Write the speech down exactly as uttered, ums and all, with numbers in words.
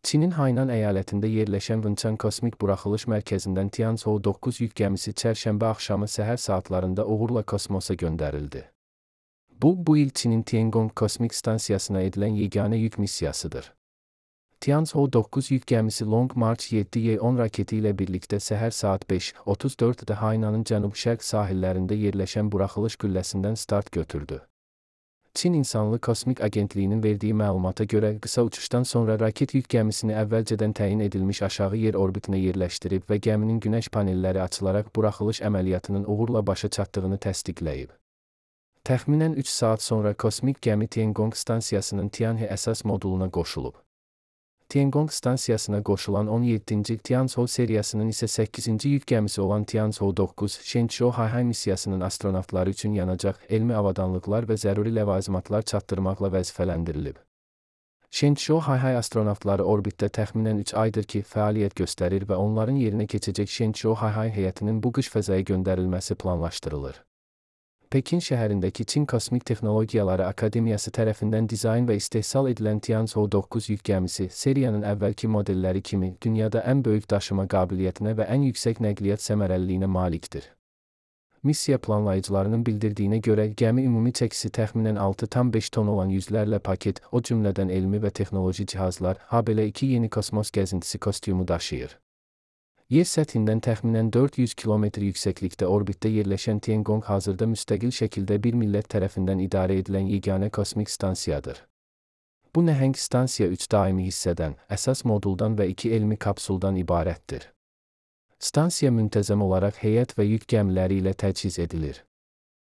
Çinin Haynan əyalətində yerləşən Vınçan Kosmik Buraxılış Mərkəzindən Tianzhou doqquz yük gəmisi çərşənbə axşamı səhər saatlarında uğurla kosmosa göndərildi. Bu, bu il Çinin Tiangong Kosmik Stansiyasına edilən yeganə yük missiyasıdır. Tianzhou doqquz yük gəmisi Long March yeddi Y on raketi ilə birlikdə səhər saat beş otuz dörddə Haynanın cənub-şərq sahillərində yerləşən buraxılış qülləsindən start götürdü. Çin İnsanlı Kosmik Agentliyinin verdiyi məlumata görə qısa uçuşdan sonra raket yük gəmisini əvvəlcədən təyin edilmiş aşağı yer orbitinə yerləşdirib və gəminin günəş panelləri açılaraq buraxılış əməliyyatının uğurla başa çatdığını təsdiqləyib. Təxminən üç saat sonra kosmik gəmi Tiangong stansiyasının Tianhe əsas moduluna qoşulub. Tiangong stansiyasına qoşulan on yeddinci Tianzhou seriyasının isə səkkizinci yük gəmisi olan Tianzhou doqquz Shenzhou Hayhay missiyasının astronavtları üçün yanacaq, elmi avadanlıqlar və zəruri ləvazimatlar çatdırmaqla vəzifələndirilib. Shenzhou Hayhay astronavtları orbitdə təxminən üç aydır ki, fəaliyyət göstərir və onların yerinə keçəcək Shenzhou Hayhay heyətinin bu qış fəzaya göndərilməsi planlaşdırılır. Pekin şəhərindəki Çin Kosmik Texnologiyaları Akademiyası tərəfindən dizayn və istehsal edilən Tianzhou doqquz yük gəmisi, seriyanın əvvəlki modelləri kimi, dünyada ən böyük daşıma qabiliyyətinə və ən yüksək nəqliyyat səmərəliliyinə malikdir. Missiya planlayıcılarının bildirdiyinə görə, gəmi ümumi çəkisi təxminən altı tam beş ton olan yüzlərlə paket, o cümlədən elmi və texnoloji cihazlar, habelə iki yeni kosmos gəzintisi kostyumu daşıyır. Yer səthindən təxminən dörd yüz kilometr yüksəklikdə orbitdə yerləşən Tiangong hazırda müstəqil şəkildə bir millət tərəfindən idarə edilən yeganə kosmik stansiyadır. Bu nəhəng stansiya üç daimi hissədən, əsas moduldan və iki elmi kapsuldan ibarətdir. Stansiya müntəzəm olaraq heyət və yük gəmiləri ilə təchiz edilir.